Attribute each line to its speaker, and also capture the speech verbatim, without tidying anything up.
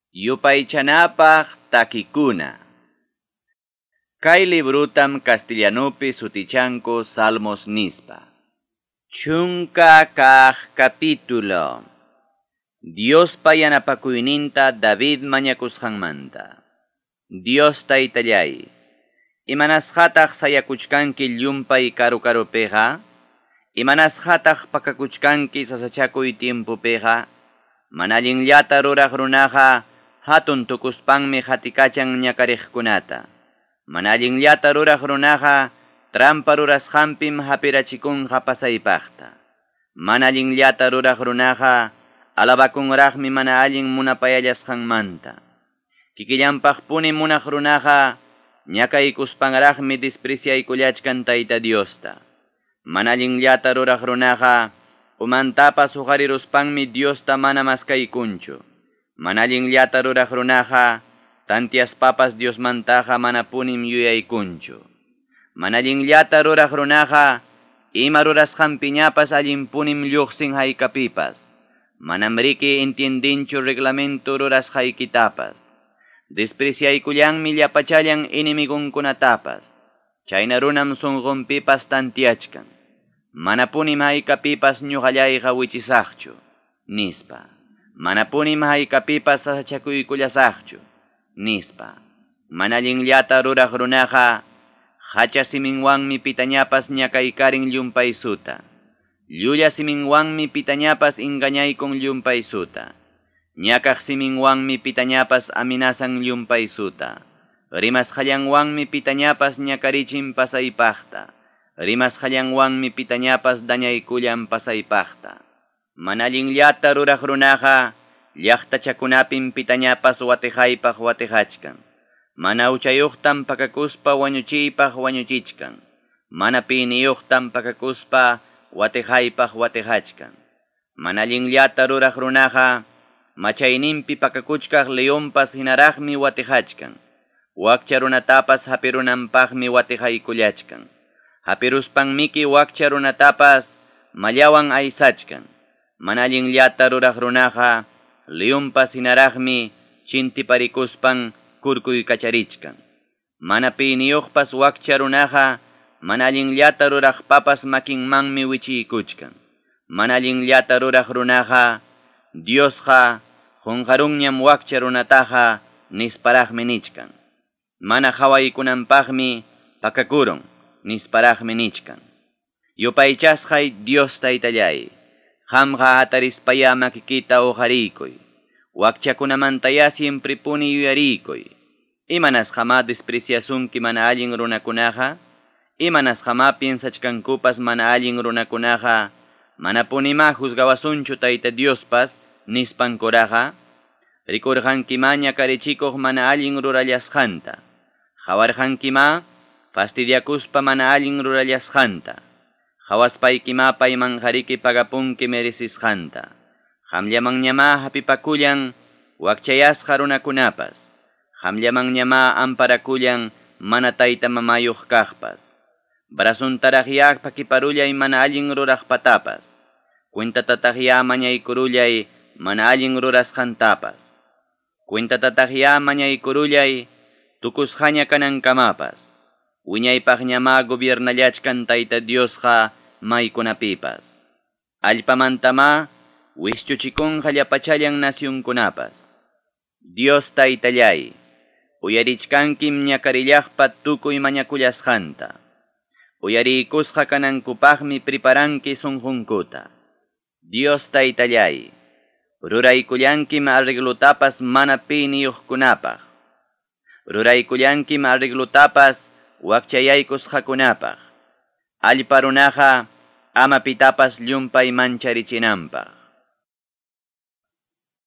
Speaker 1: Yupaychanapaq takikuna. Kay librutam castellanupi sutichanku Salmos nispa. Chunka kaq capítulo. Diospa yanapakuyninta David mañakusqanmanta. Dios taytallay, imanasqataq sayakuchkanki llumpay karu-karupiqa? Imanasqataq pakakuchkanki sasachakuy tiempopiqa? Mana allinllata ruraq runaqa hatun tukuspanmi qatikachan ñakariqkunata. Mana allinllata ruraq runaqa trampa rurasqanpim hapirachikunqa pasaypaqta. Mana allinllata ruraq runaqa alabakunraqmi mana allin munapayallasqanmanta. Kikillanpaqpuni munaq runaqa ñakaykuspanraqmi despreciaykullachkan Tayta Diosta. Mana allinllata ruraq runaqa umantapas huqariruspanmi Diosta mana maskaykunchu. Mana allinllata ruraq runaqa tantiaspapas Diosmantaqa manapunim yuyaykunchu. Mana allinllata ruraq runaqa ima rurasqanpiñapas allinpunim lluqsin haykapipas. Manam riki entiendinchu reglamento rurasqaykitapas. Despreciaykullanmi llapachallan enemigunkunatapas. Chayna runam sunqunpipas tantiachkan. Manapunim haykapipas ñuqallayqa wichisaqchu, nispa. Manapunim haykapipas sasachakuykullasaqchu, nispa. Mana allinllata ruraq runaqa hacha siminwanmi pitañapas ñakaykarin llumpaysuta. Llulla siminwanmi pitañapas engañaykun llumpaysuta. Ñakaq siminwanmi pitañapas amenazan llumpaysuta. Rimasqallanwanmi pitañapas ñakarichin pasaypaqta. Rimasqallanwanmi pitañapas dañaykullan pasaypaqta. Mana allinllata ruraq runaqa llaqtachakunapim pitañapas watijaypaq watijachkan. Mana huchayuqtam pakakuspa wañuchiypaq wañuchichkan. Mana piniyuqtam pakakuspa watijaypaq watijachkan. Mana allinllata ruraq runaqa machayninpi pakakuchkaq leonpas hinaraqmi watijachkan. Wakcha runatapas hapirunanpaqmi watijaykullachkan. Hapiruspanmiki wakcha runatapas mallawan aysachkan. Mana allinllata ruraq runaqa leonpas hinaraqmi chintiparikuspan kurkuykacharichkan. Mana piniyuqpas wakcha runaqa mana allinllata ruraqpapas makinmanmi wichiykuchkan. Mana allinllata ruraq runaqa Diosqa qunqarunñam wakcha runataqa nisparaqmi nichkan. Mana qhawaykunanpaqmi pakakurun nisparaqmi nichkan. Yupaychasqay Dios taytallay, qamqa hatarispaya makikita uqariykuy. Wakchakunamantaya siemprepuni yuyariykuy. Imanasqamá despreciasunki mana allin runakunaqa? Imanasqamá piensachkankupas mana allin runakunaqa? Manapunimá juzgawasunchu Tayta Diospas nispankuraqa? Rikurqankimá ñakarichikuq mana allin rurallasqanta. Qhawarqankimá fastidiakuspa mana allin rurallasqanta. Qhawaspaykimá paymanqariki pagapunki merecisqanta. Qamllamanñamá hapipakullan wakchayasqa runakunapas. Qamllamanñamá amparakullan mana tayta mamayuq kaqpas. Brasuntaraqyá pakiparullay mana allin ruraqpatapas. Cuentatataqyá mañaykurullay mana allin rurasqantapas. Cuentatataqyá mañaykurullay tukusqaña kanankamapas. Wiñaypaqñamá gobiernallachkan Tayta Diosqa maykunapipas. Allpamantamá wischuchikunqa llapachallan nacionkunapas. Dios taytallay, uyarichkankim ñakarillaqpa tukuy mañakullasqanta. Uyariykusqa kanankupaqmi preparanki sunqunkuta. Dios taytallay, ruraykullankim arreglutapas mana piniyuqkunapaq. Ruraykullankim arreglutapas wakchayaykusqakunapaq. Allpa runaqa ama pitapas llumpay mancharichinanpaq.